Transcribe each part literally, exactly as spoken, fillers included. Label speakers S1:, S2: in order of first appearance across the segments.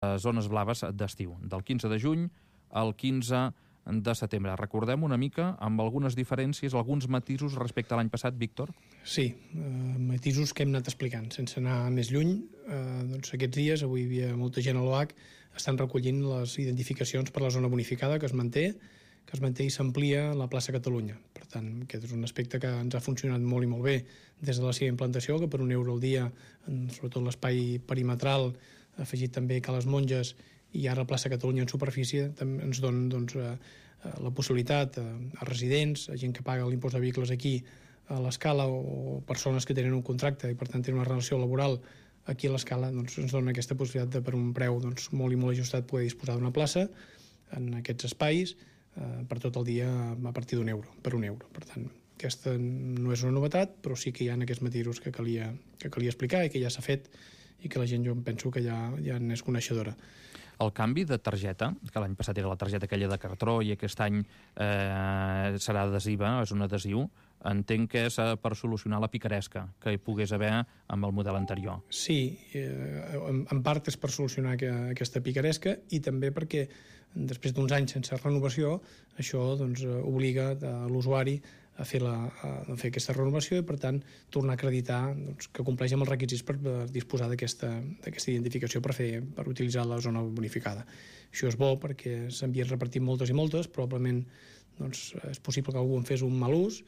S1: zones blaves d'estiu, del quinze de juny al quinze de setembre. Recordem una mica, amb algunes diferències, alguns matisos respecte a l'any passat, Víctor?
S2: Sí, eh, matisos que hem anat explicant, sense anar més lluny. Eh, doncs aquests dies, avui hi havia molta gent a l'O H, estan recollint les identificacions per la zona bonificada que es manté, que es manté i s'amplia la plaça Catalunya. Per tant, aquest és un aspecte que ens ha funcionat molt i molt bé des de la seva implantació, que per un euro al dia, sobretot l'espai perimetral, afegit també que les Monges i ara la plaça Catalunya en superfície ens donen doncs, la possibilitat a, a residents, a gent que paga l'impost de vehicles aquí a l'Escala o persones que tenen un contracte i per tant tenen una relació laboral aquí a l'Escala, doncs ens dona aquesta possibilitat de per un preu doncs, molt i molt ajustat poder disposar d'una plaça en aquests espais eh, per tot el dia a partir d'un euro, per un euro. Per tant, aquesta no és una novetat, però sí que hi ha aquests matisos que calia, que calia explicar i que ja s'ha fet i que la gent jo em penso que ja, ja n'és coneixedora.
S1: El canvi de targeta, que l'any passat era la targeta aquella de cartró i aquest any eh, serà adhesiva, és un adhesiu, entenc que és per solucionar la picaresca que hi pogués haver amb el model anterior.
S2: Sí, eh, en, en part és per solucionar que, aquesta picaresca i també perquè després d'uns anys sense renovació això doncs, obliga a l'usuari a fer, la, a fer aquesta renovació i per tant tornar a acreditar doncs, que compleix amb els requisits per, per disposar d'aquesta identificació per, fer, per utilitzar la zona bonificada. Això és bo perquè s'havien repartit moltes i moltes, probablement doncs, és possible que algú en fes un mal ús.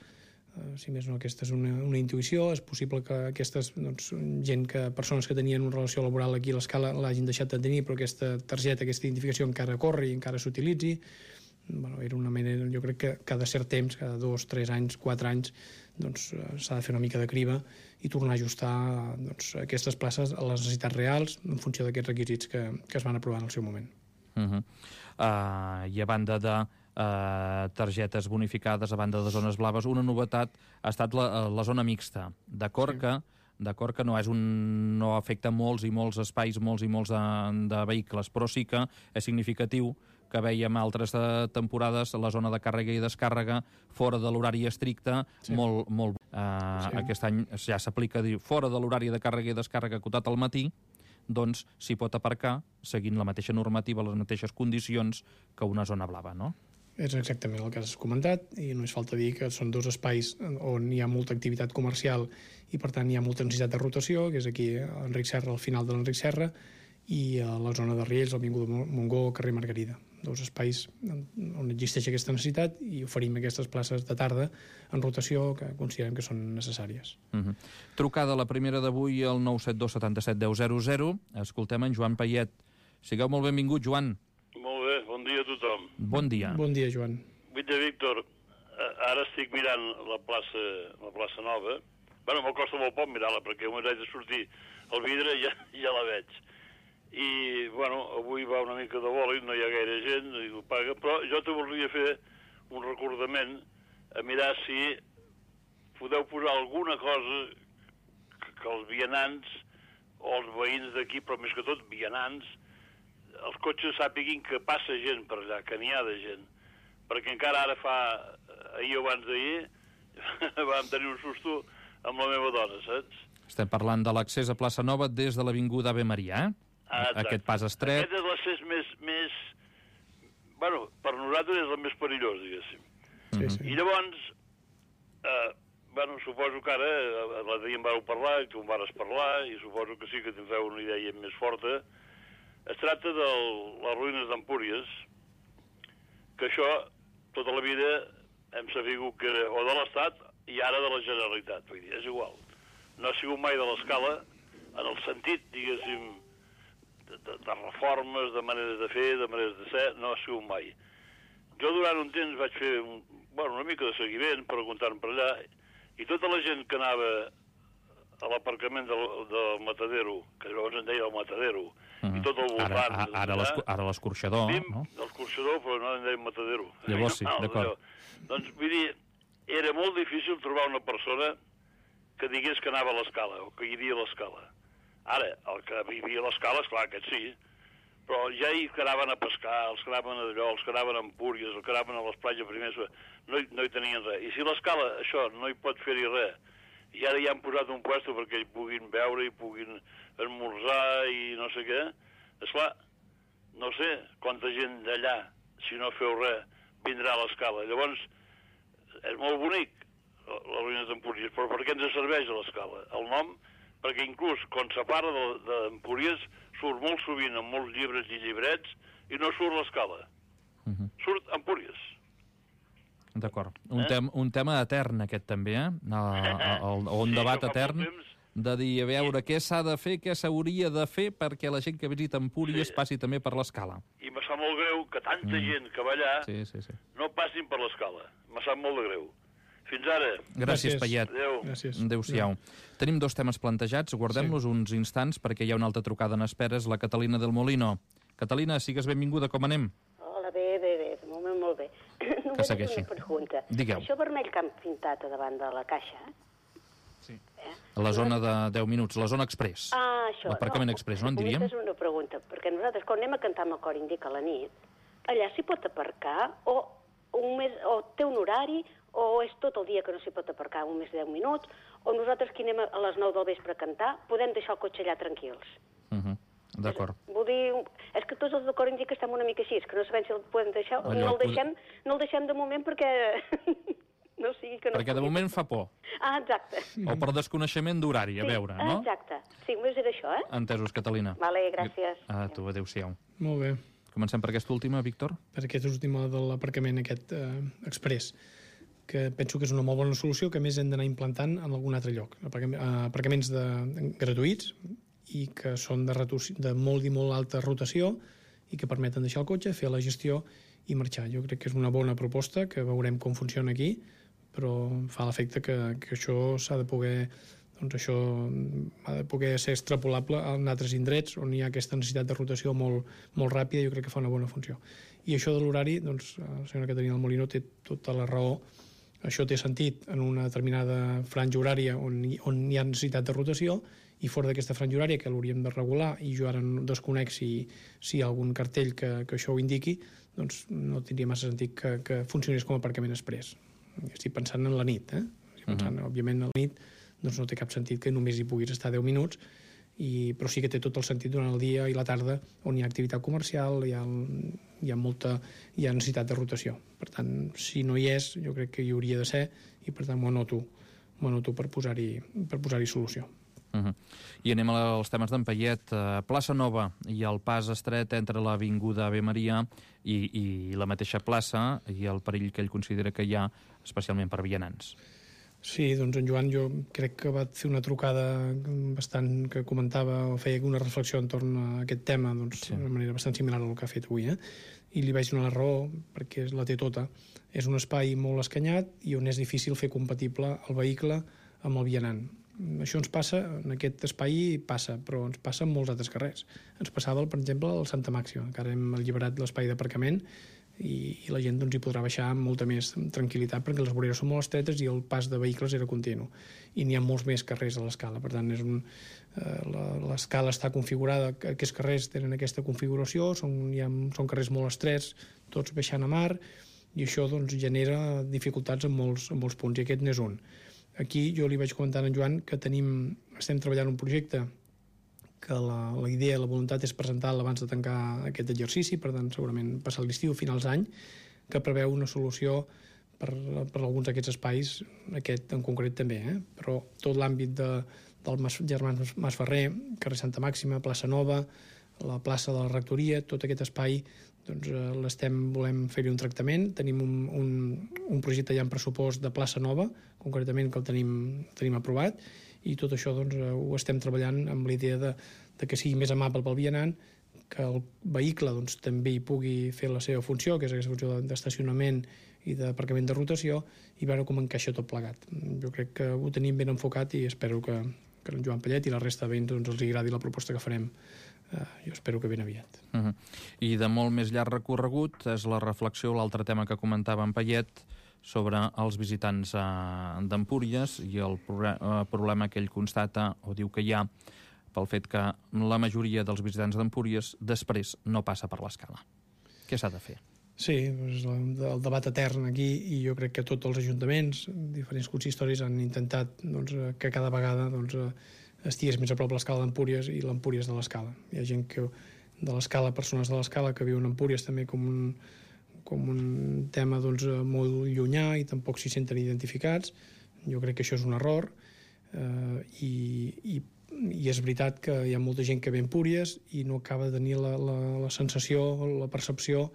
S2: Uh, si més no, aquesta és una, una intuïció. És possible que aquestes doncs, gent que, persones que tenien una relació laboral aquí a l'Escala l'hagin deixat de tenir, però aquesta targeta, aquesta identificació encara corre i encara s'utilitzi. Bueno, era una manera, jo crec que cada cert temps, cada dos, tres anys, quatre anys, doncs s'ha de fer una mica de criba i tornar a ajustar doncs, aquestes places a les necessitats reals en funció d'aquests requisits que, que es van aprovar en el seu moment.
S1: Uh-huh. uh, I a banda de uh, targetes bonificades, a banda de zones blaves, una novetat ha estat la, la zona mixta. D'acord sí. que d'acord que no és un no afecta molts i molts espais, molts i molts de, de vehicles, però sí que és significatiu que veiem altres temporades la zona de càrrega i descàrrega fora de l'horari estricte, sí. molt, molt uh, sí. Aquest any ja s'aplica dir, fora de l'horari de càrrega i descàrrega acotat al matí, doncs s'hi pot aparcar seguint la mateixa normativa, les mateixes condicions que una zona blava, no?
S2: És exactament el que has comentat i no és falta dir que són dos espais on hi ha molta activitat comercial i per tant hi ha molta necessitat de rotació, que és aquí a Enric Serra, al final de l'Enric Serra, i a la zona de Riells, l'Avinguda Montgó, carrer Margarida. Dos espais on existeix aquesta necessitat i oferim aquestes places de tarda en rotació que considerem que són necessàries.
S1: Uh-huh. Trucada la primera d'avui al nou set dos setanta set deu zero zero. Escoltem en Joan Payet. Sigueu molt benvingut, Joan.
S3: Molt bé, bon dia a tothom.
S1: Bon dia.
S2: Bon dia, Joan.
S3: Vull Víctor, ara estic mirant la plaça, la plaça Nova. Bueno, m'ho costa molt poc mirar-la, perquè un haig de sortir al vidre i ja, ja la veig. I, bueno, avui va una mica de bòlit, no hi ha gaire gent, i ho paga, però jo te volia fer un recordament a mirar si podeu posar alguna cosa que, que els vianants o els veïns d'aquí, però més que tot vianants, els cotxes sàpiguin que passa gent per allà, que n'hi ha de gent. Perquè encara ara fa, ahir o abans d'ahir, vam tenir un susto amb la meva dona, saps?
S1: Estem parlant de l'accés a Plaça Nova des de l'Avinguda Ave Maria, eh?
S3: Ah,
S1: aquest pas estret.
S3: Aquest és l'accés més, més... Bueno, per nosaltres és el més perillós, diguéssim.
S2: Sí, sí.
S3: I llavors, eh, bueno, suposo que ara, l'altre dia em vareu parlar, que em vares parlar, i suposo que sí que tindreu una idea més forta. Es tracta de les ruïnes d'Empúries, que això, tota la vida, hem sabut que era o de l'Estat i ara de la Generalitat. Vull dir, és igual. No ha sigut mai de l'Escala, en el sentit, diguéssim, de, de, de reformes, de maneres de fer, de maneres de ser, no ha sigut mai. Jo durant un temps vaig fer un, bueno, una mica de seguiment, preguntant per allà, i tota la gent que anava a l'aparcament del, del Matadero, que llavors en deia el Matadero, mm. i tot el voltant...
S1: Ara, ara, ara l'escorxador,
S3: no? L'escorxador, però no en deia Matadero.
S1: Llavors sí, d'acord.
S3: Doncs, vull dir, era molt difícil trobar una persona que digués que anava a l'Escala, o que hi havia a l'Escala. Ara, el que vivia a l'Escala, esclar, aquest sí, però ja hi que anaven a pescar, els que anaven a d'allò, els que anaven a Empúries, els que anaven a les platges primers, no hi, no hi tenien res. I si l'Escala, això, no hi pot fer-hi res, i ara ja han posat un puesto perquè hi puguin veure, hi puguin esmorzar i no sé què, esclar, no sé quanta gent d'allà, si no feu res, vindrà a l'Escala. Llavors, és molt bonic, les ruïnes d'Empúries, però per què ens serveix a l'Escala? El nom, perquè inclús quan se parla d'Empúries surt molt sovint en molts llibres i llibrets i no surt l'Escala. Uh -huh. Surt Empúries.
S1: D'acord. Un, eh? tem, un tema etern, aquest, també, eh? El, el, un sí, debat etern de dir, a veure, I... què s'ha de fer, què s'hauria de fer perquè la gent que visita Empúries sí. passi també per l'Escala.
S3: I me sap molt greu que tanta mm. gent que va allà
S1: sí, sí, sí.
S3: no passin per l'Escala. Me sap molt de greu. Fins ara.
S1: Gràcies, Payet.
S3: Adéu.
S1: Adéu-siau. Tenim dos temes plantejats, guardem-los sí. uns instants perquè hi ha una altra trucada en esperes, la Catalina del Molino. Catalina, sigues benvinguda, com anem?
S4: Hola, bé, bé, bé, de moment molt bé.
S1: Que segueixi.
S4: Una pregunta.
S1: Digueu.
S4: Això vermell que han pintat a davant de la caixa,
S1: sí. eh? A la zona de deu minuts, la zona express.
S4: Ah, això.
S1: L'aparcament
S4: no,
S1: express, no en diríem?
S4: És una pregunta, perquè nosaltres quan anem a cantar amb el cor indica a la nit, allà s'hi pot aparcar o, un mes, o té un horari o és tot el dia que no s'hi pot aparcar, un mes de deu minuts, o nosaltres que anem a les nou del vespre a cantar podem deixar el cotxe allà tranquils.
S1: Uh -huh. D'acord.
S4: Vull dir, és que tots els de cor indica estem una mica així, és que no sabem si el podem deixar, Allò, no, el deixem, no el deixem de moment perquè no sigui que no...
S1: Perquè de moment fa por.
S4: Ah, exacte.
S1: O per desconeixement d'horari, a
S4: sí,
S1: veure, no?
S4: Exacte. Sí, només era això, eh?
S1: Entesos, Catalina.
S4: Vale, gràcies.
S1: A tu, adéu-siau.
S2: Molt bé.
S1: Comencem per aquesta última, Víctor?
S2: Per aquesta última de l'aparcament aquest eh, express, que penso que és una molt bona solució, que a més hem d'anar implantant en algun altre lloc. Aparcaments de, gratuïts i que són de, de molt i molt alta rotació i que permeten deixar el cotxe, fer la gestió i marxar. Jo crec que és una bona proposta, que veurem com funciona aquí, però fa l'efecte que, que això s'ha de poder doncs això ha de poder ser extrapolable en altres indrets on hi ha aquesta necessitat de rotació molt, molt ràpida. Jo crec que fa una bona funció. I això de l'horari, doncs, la senyora Caterina del Molino té tota la raó. Això té sentit en una determinada franja horària on hi, on hi ha necessitat de rotació, i fora d'aquesta franja horària, que l'hauríem de regular, i jo ara no desconec si, si hi ha algun cartell que, que això ho indiqui, doncs no tindria massa sentit que, que funcionés com a aparcament express. Estic pensant en la nit, eh? Estic pensant, uh -huh. òbviament, a la nit doncs no té cap sentit que només hi puguis estar deu minuts, i, però sí que té tot el sentit durant el dia i la tarda, on hi ha activitat comercial, hi ha, hi ha molta hi ha necessitat de rotació. Per tant, si no hi és, jo crec que hi hauria de ser, i per tant m'ho anoto, m'ho anoto per posar-hi per posar-hi solució.
S1: Uh -huh. I anem als temes d'en Payet. Plaça Nova i el pas estret entre l'Avinguda Ave Maria i, i la mateixa plaça, i el perill que ell considera que hi ha, especialment per vianants.
S2: Sí, doncs en Joan jo crec que va fer una trucada bastant que comentava o feia una reflexió entorn a aquest tema, doncs sí. d'una manera bastant similar al que ha fet avui, eh? I li vaig donar la raó, perquè la té tota. És un espai molt escanyat i on és difícil fer compatible el vehicle amb el vianant. Això ens passa, en aquest espai passa, però ens passa en molts altres carrers. Ens passava, per exemple, al Santa Màxima, que ara hem alliberat l'espai d'aparcament i, i la gent doncs, hi podrà baixar amb molta més tranquil·litat, perquè les voreres són molt estretes i el pas de vehicles era continu. I n'hi ha molts més carrers a l'escala, per tant, és un, eh, l'escala està configurada, aquests carrers tenen aquesta configuració, són, hi ha, són carrers molt estrets, tots baixant a mar, i això doncs, genera dificultats en molts, en molts punts, i aquest n'és un. Aquí jo li vaig comentar a en Joan que tenim, estem treballant un projecte que la, la idea, la voluntat és presentar-la abans de tancar aquest exercici, per tant segurament passar l'estiu, finals d'any, que preveu una solució per, per alguns d'aquests espais, aquest en concret també, eh? Però tot l'àmbit de, del Mas, Germans Masferrer, carrer Santa Màxima, plaça Nova, la plaça de la Rectoria, tot aquest espai doncs eh, l'estem, volem fer-hi un tractament. Tenim un, un, un projecte ja en pressupost de plaça Nova, concretament, que el tenim, el tenim aprovat, i tot això doncs, eh, ho estem treballant amb la idea de, de que sigui més amable pel vianant, que el vehicle doncs, també hi pugui fer la seva funció, que és aquesta funció d'estacionament i d'aparcament de rotació, i veure com encaixa tot plegat. Jo crec que ho tenim ben enfocat i espero que, que en Joan Payet i la resta de veïns doncs, els agradi la proposta que farem. Uh, jo espero que ben aviat.
S1: Uh -huh. I de molt més llarg recorregut és la reflexió, l'altre tema que comentava en Payet, sobre els visitants uh, d'Empúries i el uh, problema que ell constata o diu que hi ha pel fet que la majoria dels visitants d'Empúries després no passa per l'escala. Què s'ha de fer?
S2: Sí, doncs el debat etern aquí, i jo crec que tots els ajuntaments, diferents consistoris, han intentat doncs, que cada vegada doncs, estigués més a prop l'escala d'Empúries i l'Empúries de l'escala. Hi ha gent que de l'Escala, persones de l'Escala que viuen a Empúries també com un, com un tema doncs, molt llunyà i tampoc s'hi senten identificats. Jo crec que això és un error eh, i, i, i és veritat que hi ha molta gent que ve a Empúries i no acaba de tenir la, la, la sensació, la percepció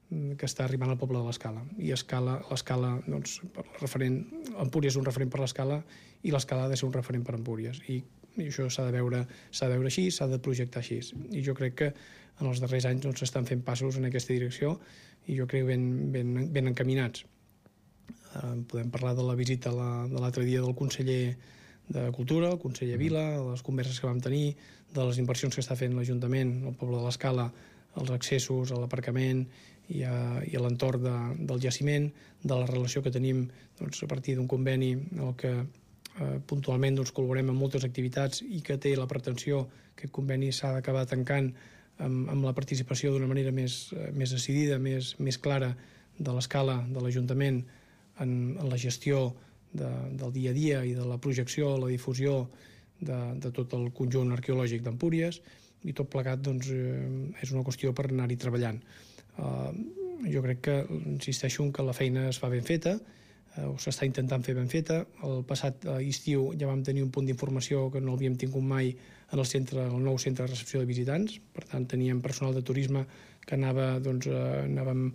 S2: que està arribant al poble de l'Escala. I Escala, l'Escala, doncs, per referent, Empúries és un referent per l'Escala i l'Escala ha de ser un referent per Empúries. I, i això s'ha de veure, s'ha de veure així, s'ha de projectar així. I jo crec que en els darrers anys doncs, s'estan fent passos en aquesta direcció i jo crec ben, ben, ben encaminats. Eh, podem parlar de la visita la, de l'altre dia del conseller de Cultura, el conseller Vila, de les converses que vam tenir, de les inversions que està fent l'Ajuntament, el poble de l'Escala, els accessos a l'aparcament i a, i a l'entorn de, del jaciment, de la relació que tenim doncs, a partir d'un conveni en el que eh, puntualment doncs, col·laborem en moltes activitats i que té la pretensió que aquest conveni s'ha d'acabar tancant amb, amb la participació d'una manera més, eh, més decidida, més, més clara de l'Escala, de l'Ajuntament en, en la gestió de, del dia a dia i de la projecció, la difusió de, de tot el conjunt arqueològic d'Empúries, i tot plegat doncs, eh, és una qüestió per anar-hi treballant. Uh, jo crec que, insisteixo, que la feina es fa ben feta, uh, o s'està intentant fer ben feta. El passat uh, estiu ja vam tenir un punt d'informació que no l'havíem tingut mai en el, centre, el nou centre de recepció de visitants. Per tant, teníem personal de turisme que anava, doncs, uh, anàvem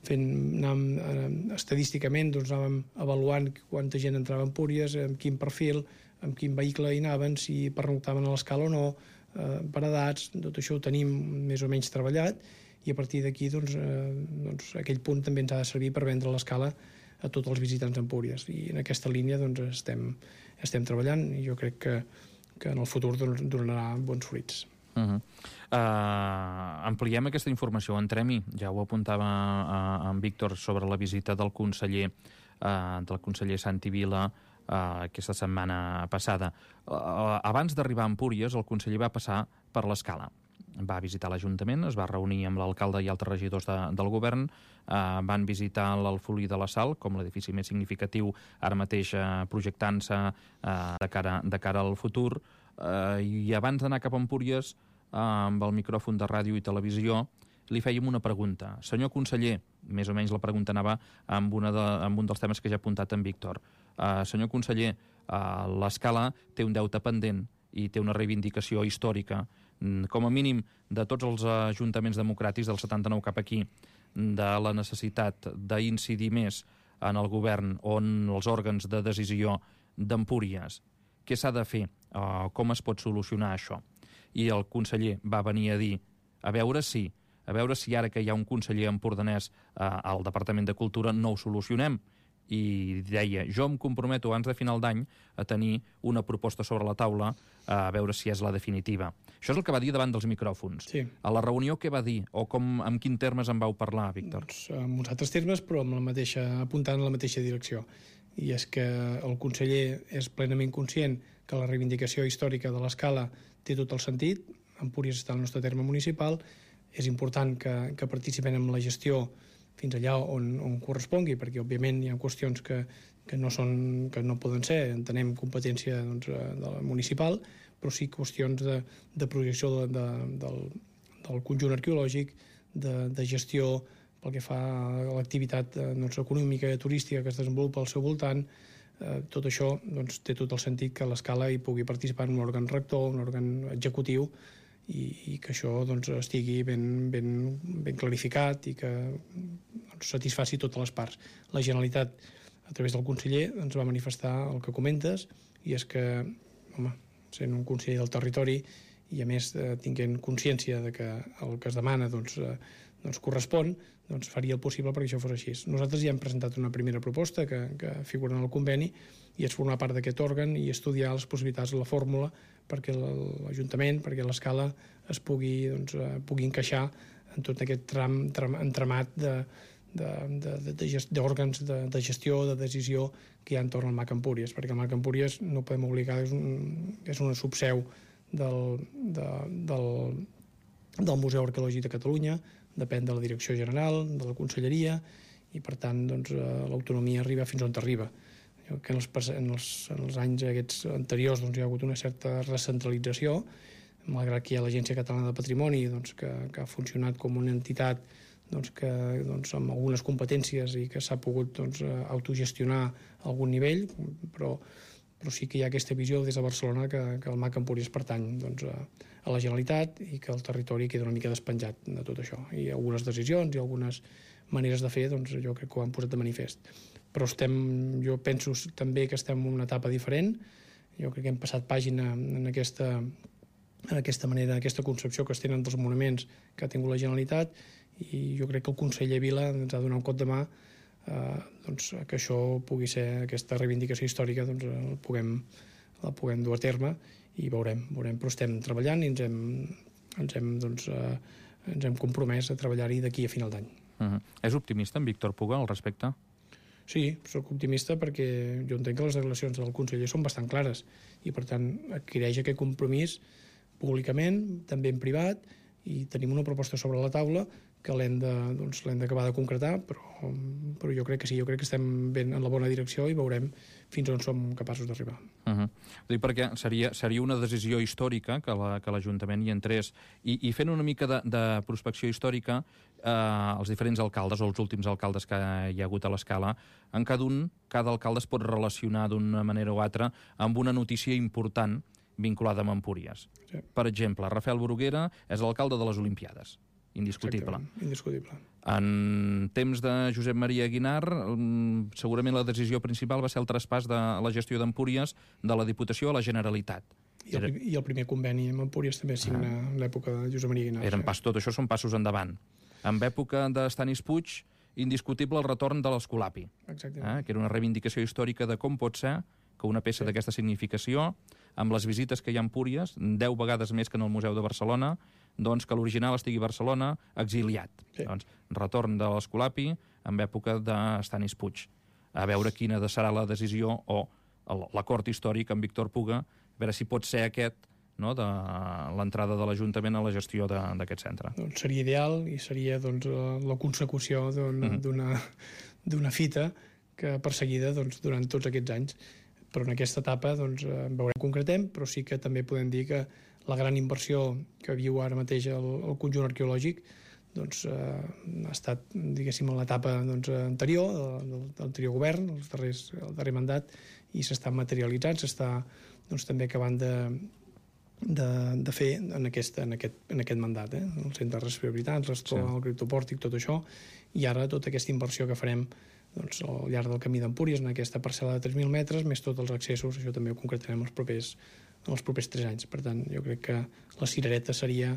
S2: fent, anàvem, uh, estadísticament doncs, anàvem avaluant quanta gent entrava a Empúries, amb quin perfil, amb quin vehicle hi anaven, si pernoctaven a l'Escala o no, uh, per edats. Tot això ho tenim més o menys treballat i a partir d'aquí doncs, eh, doncs, aquell punt també ens ha de servir per vendre l'Escala a tots els visitants d'Empúries. I en aquesta línia doncs, estem, estem treballant i jo crec que, que en el futur doncs, donarà bons fruits.
S1: Uh -huh. uh, ampliem aquesta informació, entrem-hi. Ja ho apuntava uh, en Víctor sobre la visita del conseller, uh, del conseller Santi Vila uh, aquesta setmana passada. Uh, abans d'arribar a Empúries, el conseller va passar per l'Escala. Va visitar l'Ajuntament, es va reunir amb l'alcalde i altres regidors de, del govern, eh, van visitar l'Alfolí de la Sal, com l'edifici més significatiu ara mateix eh, projectant-se eh, de, cara, de cara al futur, eh, i abans d'anar cap a Empúries, eh, amb el micròfon de ràdio i televisió, li fèiem una pregunta. Senyor conseller, més o menys la pregunta anava amb, una de, amb un dels temes que ja ha apuntat en Víctor. Eh, senyor conseller, eh, l'Escala té un deute pendent i té una reivindicació històrica, com a mínim de tots els ajuntaments democràtics del setanta-nou cap aquí, de la necessitat d'incidir més en el govern o en els òrgans de decisió d'Empúries. Què s'ha de fer? Uh, com es pot solucionar això? I el conseller va venir a dir, a veure si, a veure si ara que hi ha un conseller empordanès uh, al Departament de Cultura no ho solucionem. I deia, jo em comprometo abans de final d'any a tenir una proposta sobre la taula a veure si és la definitiva. Això és el que va dir davant dels micròfons.
S2: Sí.
S1: A la reunió què va dir? O com, en quin termes en vau parlar, Víctor?
S2: Doncs en uns altres termes, però amb la mateixa, apuntant en la mateixa direcció. I és que el conseller és plenament conscient que la reivindicació històrica de l'Escala té tot el sentit. Empúries està al nostre terme municipal. És important que, que participem en la gestió fins allà on, on correspongui, perquè òbviament hi ha qüestions que, que, no, són, que no poden ser, entenem, competència doncs, de la municipal, però sí qüestions de, de projecció de, de, del, del conjunt arqueològic, de, de gestió pel que fa a l'activitat doncs, econòmica i turística que es desenvolupa al seu voltant. Eh, tot això doncs, té tot el sentit que l'Escala hi pugui participar en un òrgan rector, un òrgan executiu, i, i que això doncs, estigui ben, ben, ben clarificat i que doncs, satisfaci totes les parts. La Generalitat, a través del conseller, ens va manifestar el que comentes, i és que, home, sent un conseller del territori i a més eh, tinguent consciència de que el que es demana doncs, eh, doncs correspon, doncs faria el possible perquè això fos així. Nosaltres ja hem presentat una primera proposta que, que figura en el conveni i és formar part d'aquest òrgan i estudiar les possibilitats de la fórmula perquè l'Ajuntament, perquè l'Escala es pugui, doncs, pugui encaixar en tot aquest tram, tram entramat de, de, de, de, de gest, d'òrgans de, de gestió, de decisió que hi ha entorn al M A C Empúries, perquè el M A C Empúries no podem obligar, és, un, és una subseu del, de, del, del Museu Arqueològic de Catalunya, depèn de la Direcció General, de la Conselleria, i per tant doncs, l'autonomia arriba fins on arriba. Que en els, en, els, en els anys aquests anteriors doncs, hi ha hagut una certa recentralització malgrat que hi ha l'Agència Catalana de Patrimoni, doncs, que, que ha funcionat com una entitat doncs, que, doncs, amb algunes competències i que s'ha pogut doncs, autogestionar a algun nivell, però, però sí que hi ha aquesta visió des de Barcelona que, que el M A C Empúries pertany doncs, a, a la Generalitat i que el territori queda una mica despenjat de tot això. I algunes decisions i algunes maneres de fer, doncs, jo crec que ho han posat de manifest. Però estem, jo penso també que estem en una etapa diferent. Jo crec que hem passat pàgina en aquesta, en aquesta manera, aquesta concepció que es tenen dels monuments que ha tingut la Generalitat, i jo crec que el conseller Vila ens ha donat un cop de mà eh, doncs, que això pugui ser, aquesta reivindicació històrica, doncs, el puguem, la puguem dur a terme i veurem, veurem. Però estem treballant i ens hem, ens hem, doncs, eh, ens hem compromès a treballar-hi d'aquí a final d'any.
S1: Uh-huh. És optimista en Víctor Puga al respecte?
S2: Sí, sóc optimista perquè jo entenc que les declaracions del conseller són bastant clares i, per tant, adquireix aquest compromís públicament, també en privat, i tenim una proposta sobre la taula que l'hem de, doncs, l'hem d'acabar de concretar, però, però jo crec que sí, jo crec que estem ben en la bona direcció i veurem fins on som capaços d'arribar.
S1: Uh-huh. Dic perquè seria, seria una decisió històrica que la, que l'Ajuntament hi entrés, i, i fent una mica de, de prospecció històrica, eh, els diferents alcaldes o els últims alcaldes que hi ha hagut a l'escala, en cada un, cada alcalde es pot relacionar d'una manera o altra amb una notícia important vinculada amb Empúries. Sí. Per exemple, Rafael Bruguera és l'alcalde de les Olimpiades. Indiscutible.
S2: Indiscutible.
S1: En temps de Josep Maria Aguinar, segurament la decisió principal va ser el traspàs de la gestió d'Empúries de la Diputació a la Generalitat.
S2: I el, I el primer conveni amb Empúries també signa ah. en l'època de Josep Maria Aguinar.
S1: Eren pas, tot això són passos endavant. En època d'Estanis Puig, indiscutible el retorn de l'Escolapi, eh? que era una reivindicació històrica de com pot ser que una peça sí. d'aquesta significació, amb les visites que hi ha a Empúries, deu vegades més que en el Museu de Barcelona, doncs que l'original estigui a Barcelona, exiliat. Sí. Doncs, retorn de l'Escolapi en època d'Estanis Puig. A veure quina serà la decisió o l'acord històric amb Víctor Puga, a veure si pot ser aquest, no, de l'entrada de l'Ajuntament a la gestió d'aquest centre.
S2: Doncs seria ideal i seria doncs, la consecució d'una mm. d'una fita que perseguida doncs, durant tots aquests anys. Però en aquesta etapa doncs, veurem, concretem, però sí que també podem dir que la gran inversió que viu ara mateix el, el conjunt arqueològic doncs, eh, ha estat, diguéssim, en l'etapa doncs, anterior, del, del anterior govern, els darrers, el darrer mandat, i s'està materialitzant, s'està doncs, també acabant de, de, de fer en aquest, en aquest, en aquest mandat. Eh? El centre de respirabilitat, l'escola, sí. el criptopòrtic, tot això, i ara tota aquesta inversió que farem doncs, al llarg del camí d'Empúries, en aquesta parcel·la de tres mil metres, més tots els accessos, això també ho concretarem els propers, els propers tres anys. Per tant, jo crec que la cirereta seria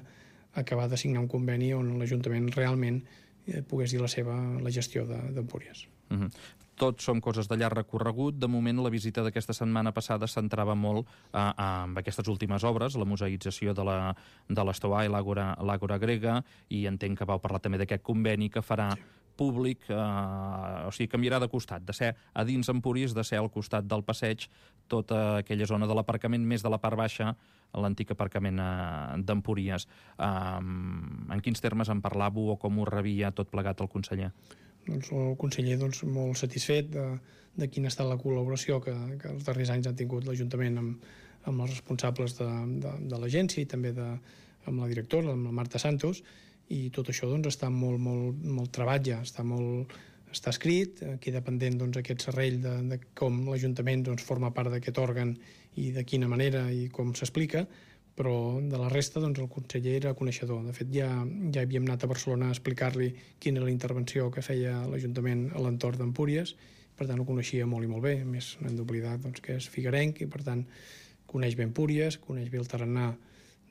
S2: acabar de signar un conveni on l'Ajuntament realment eh, pogués dir la seva la gestió d'Empúries.
S1: Uh-huh. Tot són coses de llarg recorregut. De moment, la visita d'aquesta setmana passada centrava molt eh, en aquestes últimes obres, la museïtzació de la, de l'Estoà i l'Àgora grega, i entenc que vau parlar també d'aquest conveni que farà sí. públic, eh, o sigui, canviarà de costat, de ser a dins Empúries, de ser al costat del passeig, tota aquella zona de l'aparcament, més de la part baixa, l'antic aparcament eh, d'Empúries. Eh, en quins termes en parlàveu o com ho rebia tot plegat el conseller?
S2: Doncs el conseller doncs, molt satisfet de, de quina ha estat la col·laboració que, que els darrers anys han tingut l'Ajuntament amb, amb els responsables de, de, de l'agència i també de, amb la directora, amb la Marta Santos, i tot això doncs, està molt, molt, molt treballat ja, està, molt, està escrit, queda pendent doncs, aquest serrell de, de com l'Ajuntament doncs, forma part d'aquest òrgan i de quina manera i com s'explica, però de la resta doncs, el conseller era coneixedor. De fet, ja, ja havíem anat a Barcelona a explicar-li quina era la intervenció que feia l'Ajuntament a l'entorn d'Empúries, per tant ho coneixia molt i molt bé, a més no hem d'oblidar doncs, que és figuerenc i per tant coneix bé Empúries, coneix bé el tarannà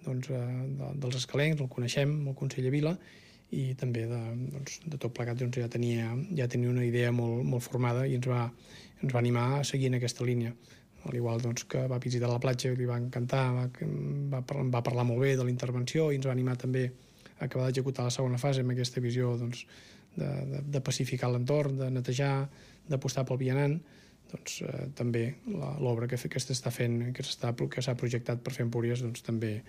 S2: doncs, de, dels escalencs, el coneixem, el conseller Vila, i també de, doncs, de tot plegat doncs, ja, tenia, ja tenia una idea molt, molt formada i ens va, ens va animar a seguir en aquesta línia. Al igual doncs, que va visitar la platja i li va encantar, va, va, va parlar molt bé de la intervenció i ens va animar també a acabar d'executar la segona fase amb aquesta visió doncs, de, de, de pacificar l'entorn, de netejar, d'apostar pel vianant. Doncs, eh, també l'obra que, que s'està fent, que s'ha que projectat per fer Empúries, doncs, també,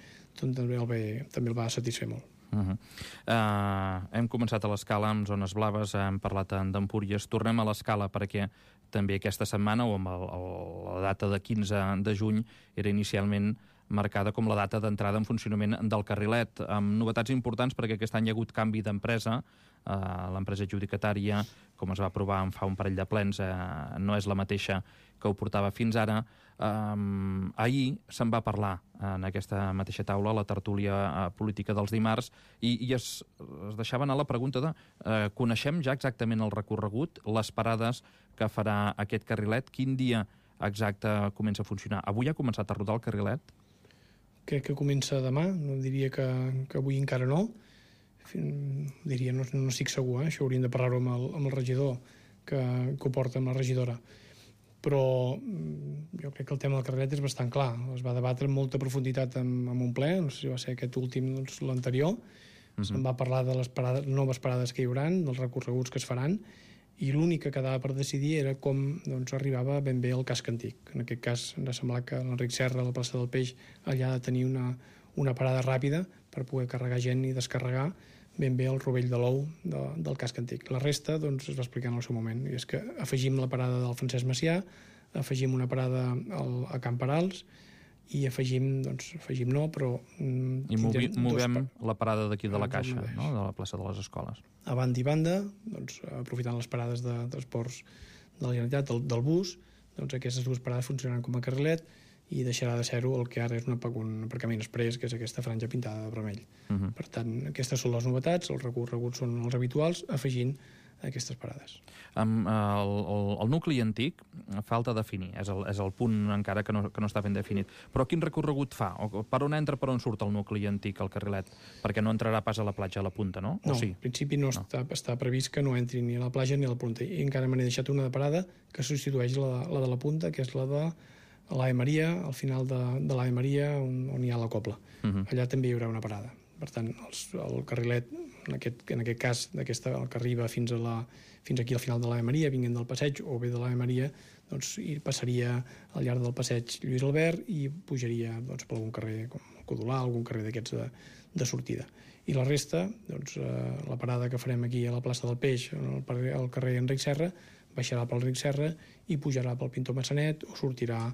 S2: també, el ve, també el va satisfer molt.
S1: Uh-huh. uh, hem començat a l'escala amb zones blaves, hem parlat d'Empúries, tornem a l'escala perquè també aquesta setmana o amb el, el, la data de quinze de juny era inicialment marcada com la data d'entrada en funcionament del carrilet, amb novetats importants perquè aquest any hi ha hagut canvi d'empresa. Uh, l'empresa adjudicatària, com es va aprovar en fa un parell de plens, uh, no és la mateixa que ho portava fins ara. Um, ahir se'n va parlar en aquesta mateixa taula, la tertúlia uh, política dels dimarts, i, i es, es deixava anar la pregunta de uh, coneixem ja exactament el recorregut, les parades que farà aquest carrilet, quin dia exacte comença a funcionar? Avui ha començat a rodar el carrilet?
S2: Crec que comença demà, no diria que, que avui encara no. Diria, no, no estic segur, eh? Això hauríem de parlar-ho amb, el, amb el regidor que, que ho porta, amb la regidora. Però jo crec que el tema del carrilet és bastant clar. Es va debatre amb molta profunditat en, en un ple, no sé si va ser aquest últim, doncs l'anterior. Uh-huh. Se'n va parlar de les parades, noves parades que hi haurà, dels recorreguts que es faran, i l'únic que quedava per decidir era com doncs, arribava ben bé el casc antic. En aquest cas ens ha semblat que l'Enric Serra, a la plaça del Peix, allà ha de tenir una, una parada ràpida per poder carregar gent i descarregar ben bé el rovell de l'ou de, del casc antic. La resta doncs, es va explicar en el seu moment, i és que afegim la parada del Francesc Macià, afegim una parada al, a Camp Perals, i afegim, doncs, afegim no, però... Mm,
S1: I movi, movem pa... la parada d'aquí de la Caixa, no? De la plaça de les Escoles.
S2: A banda i banda, doncs, aprofitant les parades de transports de la Generalitat, del, del bus, doncs aquestes dues parades funcionaran com a carrilet, i deixarà de ser-ho el que ara és un aparcament express, que és aquesta franja pintada de vermell. Uh-huh. Per tant, aquestes són les novetats, els recorreguts són els habituals, afegint aquestes parades.
S1: Um, el, el, el nucli antic falta definir, és el, és el punt encara que no, que no està ben definit. Però quin recorregut fa? O per on entra, per on surt el nucli antic, el carrilet? Perquè no entrarà pas a la platja a la punta, no?
S2: No,
S1: o sí?
S2: En principi no, no. Està, està previst que no entri ni a la platja ni a la punta. I encara me n'he deixat una de parada que substitueix la, la de la punta, que és la de l'Ave Maria, al final de, de l'Ave Maria, on, on hi ha la cobla. Uh-huh. Allà també hi haurà una parada. Per tant, els, el carrilet, en aquest, en aquest cas, d'aquesta, el que arriba fins, a la, fins aquí al final de l'Ave Maria, vinguent del passeig, o bé de l'Ave Maria, doncs, i passaria al llarg del passeig Lluís Albert i pujaria doncs, per algun carrer com el Codolà, algun carrer d'aquests de, de sortida. I la resta, doncs, eh, la parada que farem aquí a la plaça del Peix, al el carrer Enric Serra, baixarà pel Enric Serra i pujarà pel Pintor Massanet o sortirà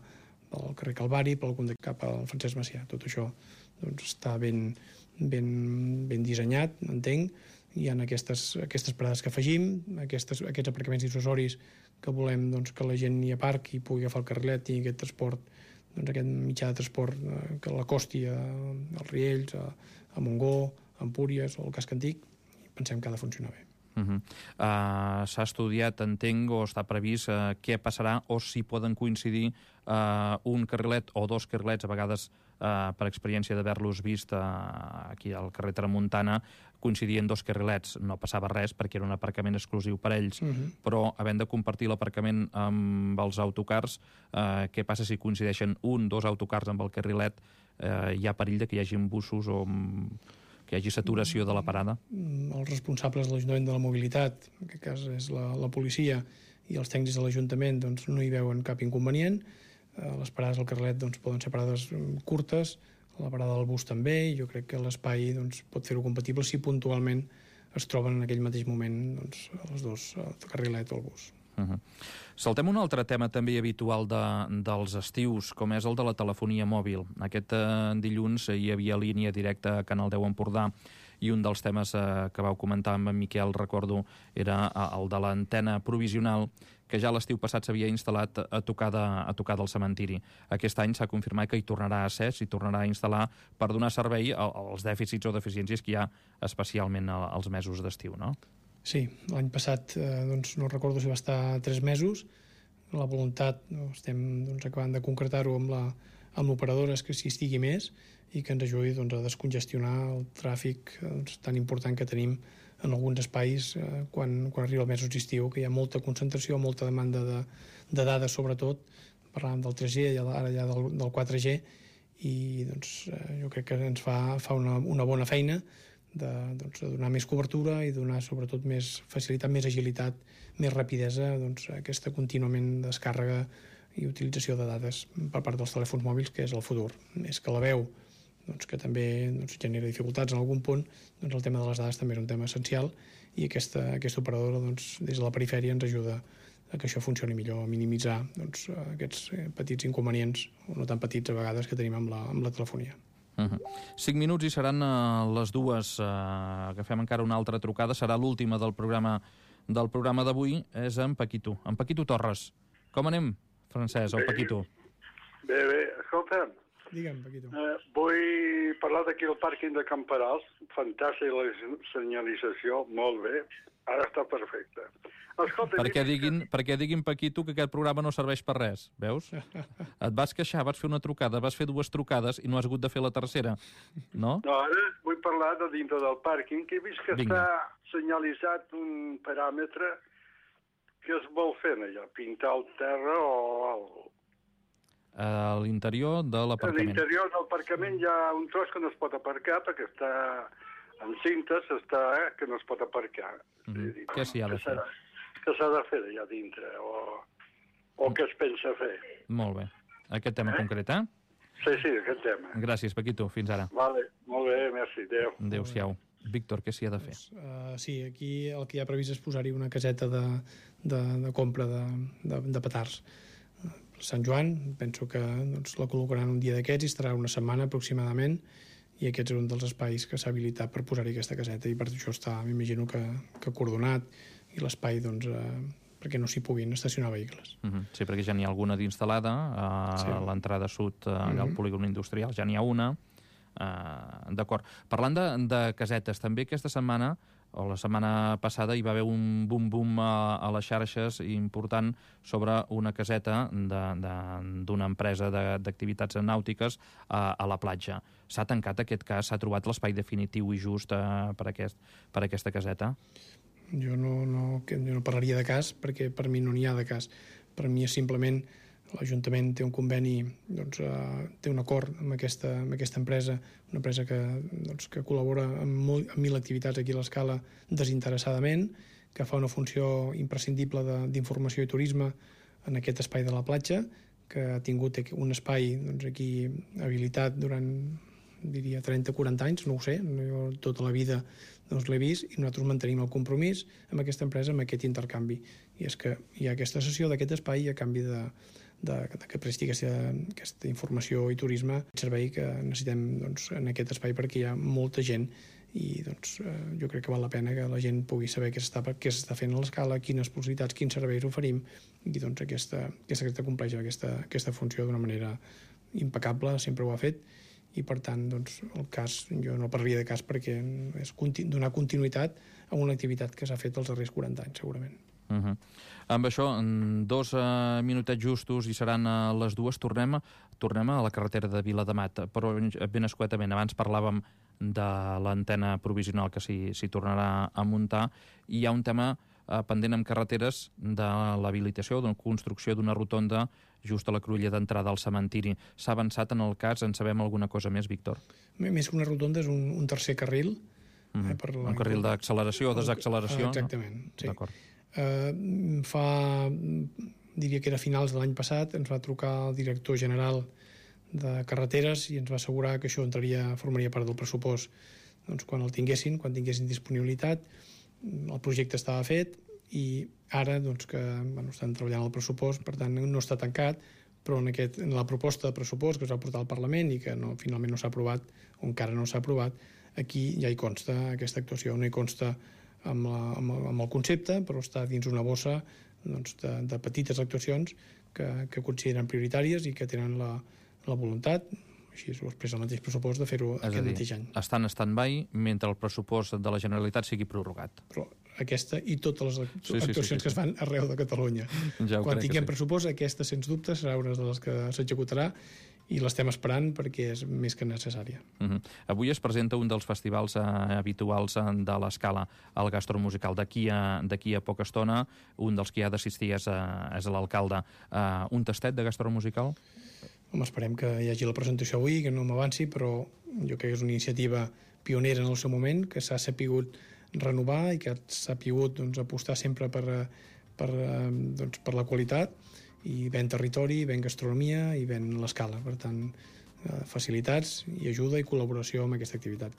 S2: pel carrer Calvari, pel algun de cap al Francesc Macià. Tot això doncs, està ben, ben, ben dissenyat, entenc. Hi ha aquestes, aquestes parades que afegim, aquestes, aquests aparcaments dissuasoris que volem doncs, que la gent hi aparqui i pugui agafar el carrilet i aquest transport, doncs, aquest mitjà de transport eh, que l'acosti a, als Riells, a, a Montgó, a Empúries o al Casc Antic, i pensem que ha de funcionar bé.
S1: Uh -huh. uh, S'ha estudiat, entenc, o està previst uh, què passarà o si poden coincidir uh, un carrilet o dos carrilets, a vegades uh, per experiència d'haver-los vist uh, aquí al carrer Tramuntana, coincidien dos carrilets, no passava res perquè era un aparcament exclusiu per ells, uh -huh. però havent de compartir l'aparcament amb els autocars, uh, què passa si coincideixen un, dos autocars amb el carrilet? Uh, hi ha perill de que hi hagi busos o que hi hagi saturació de la parada?
S2: Els responsables de l'Ajuntament de la Mobilitat, en aquest cas és la, la policia, i els tècnics de l'Ajuntament doncs, no hi veuen cap inconvenient. Eh, les parades al carrilet doncs, poden ser parades curtes, la parada del bus també, i jo crec que l'espai doncs, pot fer-ho compatible si puntualment es troben en aquell mateix moment doncs, els dos, el carrilet o el bus.
S1: Uh -huh. Saltem un altre tema també habitual de, dels estius, com és el de la telefonia mòbil. Aquest eh, dilluns hi havia línia directa a Canal deu Empordà i un dels temes eh, que vau comentar amb en Miquel, recordo, era el de l'antena provisional que ja l'estiu passat s'havia instal·lat a tocar, de, a tocar del cementiri. Aquest any s'ha confirmat que hi tornarà a ser, s'hi tornarà a instal·lar per donar servei als dèficits o deficiències que hi ha especialment als mesos d'estiu, no?
S2: Sí, l'any passat eh, doncs, no recordo si va estar tres mesos. La voluntat, no, estem doncs, acabant de concretar-ho amb la, amb l'operadora, és que s'hi estigui més i que ens ajudi doncs, a descongestionar el tràfic doncs, tan important que tenim en alguns espais eh, quan, quan arriba el mesos d'estiu, que hi ha molta concentració, molta demanda de, de dades, sobretot. Parlàvem del tres G, ara ja del, del quatre G, i doncs, eh, jo crec que ens fa, fa una, una bona feina de, doncs, de donar més cobertura i donar sobretot més facilitat, més agilitat, més rapidesa, doncs, aquesta contínuament descàrrega i utilització de dades per part dels telèfons mòbils, que és el futur. Més que la veu, doncs, que també doncs, genera dificultats en algun punt, doncs, el tema de les dades també és un tema essencial i aquesta, aquesta operadora doncs, des de la perifèria ens ajuda a que això funcioni millor, a minimitzar doncs, aquests petits inconvenients, o no tan petits a vegades, que tenim amb la, amb la telefonia.
S1: Uh -huh. Cinc minuts i seran uh, les dues. Uh, agafem encara una altra trucada. Serà l'última del programa del programa d'avui. És en Paquito. En Paquito Torres. Com anem, Francesc, o Paquito?
S5: Bé, bé. Escolta'm.
S2: Digue'm, Paquito.
S5: Uh, vull parlar d'aquí al pàrquing de Camperals. Fantàstic la senyalització, molt bé. Ara està perfecte. Escolta,
S1: perquè, diguin, perquè diguin, Paquito, que aquest programa no serveix per res, veus? Et vas queixar, vas fer una trucada, vas fer dues trucades i no has hagut de fer la tercera, no?
S5: No, ara vull parlar de dintre del pàrquing, que he vist que
S1: Vinga.
S5: està senyalitzat un paràmetre que es vol fer allà, pintar el terra o alguna cosa.
S1: A l'interior de
S5: A
S1: l'aparcament.
S5: l'interior del aparcament hi ha un tros que no es pot aparcar perquè està en cintes, està, eh, que no es pot aparcar.
S1: Mm -hmm.
S5: dir,
S1: Què s'hi ha de fer?
S5: Què s'ha de fer allà dintre o, o què es pensa fer?
S1: Molt bé. Aquest tema eh? concret, eh?
S5: Sí, sí, aquest tema.
S1: Gràcies, Paquito. Fins ara.
S5: Vale, molt bé, merci. Adéu.
S1: Adéu-siau. Víctor, què s'hi ha de fer?
S2: Uh, sí, aquí el que hi ha previst és posar-hi una caseta de, de, de compra de, de, de petards. Sant Joan, penso que doncs, la col·locaran un dia d'aquests i estarà una setmana aproximadament, i aquest és un dels espais que s'ha habilitat per posar-hi aquesta caseta, i per això està, m'imagino que, que coordonat, i l'espai doncs, eh, perquè no s'hi puguin estacionar vehicles.
S1: Uh -huh. Sí, perquè ja n'hi ha alguna d'instal·lada, a sí. l'entrada sud, allà uh -huh. al polígon industrial, ja n'hi ha una. Uh, D'acord. Parlant de, de casetes, també aquesta setmana, o la setmana passada, hi va haver un bum-bum a, a les xarxes important sobre una caseta d'una empresa d'activitats nàutiques a, a la platja. S'ha tancat aquest cas? S'ha trobat l'espai definitiu i just uh, per, aquest, per aquesta caseta?
S2: Jo no, no, jo no parlaria de cas, perquè per mi no n'hi ha de cas. Per mi és simplement l'Ajuntament té un conveni, doncs, uh, té un acord amb aquesta, amb aquesta empresa, una empresa que, doncs, que col·labora amb, molt, amb mil activitats aquí a l'Escala desinteressadament, que fa una funció imprescindible d'informació i turisme en aquest espai de la platja, que ha tingut un espai doncs, aquí habilitat durant, diria, trenta o quaranta anys, no ho sé, jo tota la vida doncs, l'he vist, i nosaltres mantenim el compromís amb aquesta empresa, amb aquest intercanvi. I és que hi ha aquesta cessió d'aquest espai a canvi de, de, de que presti aquesta, aquesta informació i turisme, el servei que necessitem doncs, en aquest espai, perquè hi ha molta gent, i doncs, eh, jo crec que val la pena que la gent pugui saber què s'està fent a l'Escala, quines possibilitats, quins serveis oferim, i doncs aquesta, aquesta, aquesta compleix aquesta, aquesta funció d'una manera impecable, sempre ho ha fet, i per tant doncs, el cas, jo no parlaria de cas perquè és continu, donar continuïtat a una activitat que s'ha fet els darrers quaranta anys, segurament.
S1: Uh -huh. Amb això, en dos uh, minutets justos, i seran uh, les dues, tornem, tornem a la carretera de Viladamat, però ben escuetament. Abans parlàvem de l'antena provisional que s'hi tornarà a muntar, i hi ha un tema uh, pendent amb carreteres de l'habilitació, de la construcció d'una rotonda just a la cruïlla d'entrada al cementiri. S'ha avançat en el cas? En sabem alguna cosa més, Víctor?
S2: Més que una rotonda, és un, un tercer carril.
S1: Mm. Eh, per la... Un carril d'acceleració o desacceleració?
S2: Exactament, no? Sí.
S1: D'acord.
S2: Uh, fa, diria que era a finals de l'any passat, ens va trucar el director general de carreteres i ens va assegurar que això entraria, formaria part del pressupost doncs, quan el tinguessin, quan tinguessin disponibilitat. El projecte estava fet i ara doncs, que bueno, estan treballant el pressupost, per tant no està tancat, però en, aquest, en la proposta de pressupost que es va portar al Parlament i que no, finalment no s'ha aprovat, o encara no s'ha aprovat, aquí ja hi consta aquesta actuació, no hi consta amb, la, amb, el, amb el concepte, però està dins una bossa doncs, de, de petites actuacions que, que consideren prioritàries i que tenen la, la voluntat, així ho expressa el mateix pressupost, de fer-ho aquest mateix any.
S1: Estan en stand-by mentre el pressupost de la Generalitat sigui prorrogat.
S2: Però aquesta i totes les actu
S1: sí, sí,
S2: actuacions
S1: sí, sí, sí.
S2: que es fan arreu de Catalunya.
S1: Ja
S2: Quan tinguem
S1: sí.
S2: pressupost, aquesta, sens dubte, serà una de les que s'executarà i l'estem esperant perquè és més que necessària.
S1: Uh -huh. Avui es presenta un dels festivals eh, habituals de l'Escala, el gastromusical. D'aquí a, d'aquí a poca estona, un dels que hi ha d'assistir és, eh, és l'alcalde. Uh, un tastet de gastromusical?
S2: Home, esperem que hi hagi la presentació avui, que no m'avanci, però jo crec que és una iniciativa pionera en el seu moment, que s'ha sapigut renovar i que s'ha sapigut doncs, apostar sempre per, per, doncs, per la qualitat, i ven territori, ven gastronomia i ven l'Escala. Per tant, facilitats i ajuda i col·laboració amb aquesta activitat.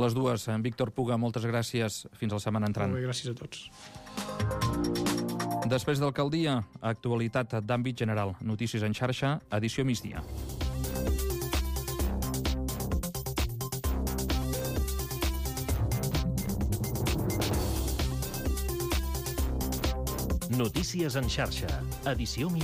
S1: Les dues. En Víctor Puga, moltes gràcies. Fins la setmana entrant.
S2: Molt bé, gràcies a tots.
S1: Després d'Alcaldia, actualitat d'àmbit general. Notícies en xarxa, edició migdia.
S6: Notícies en xarxa, edició migdia.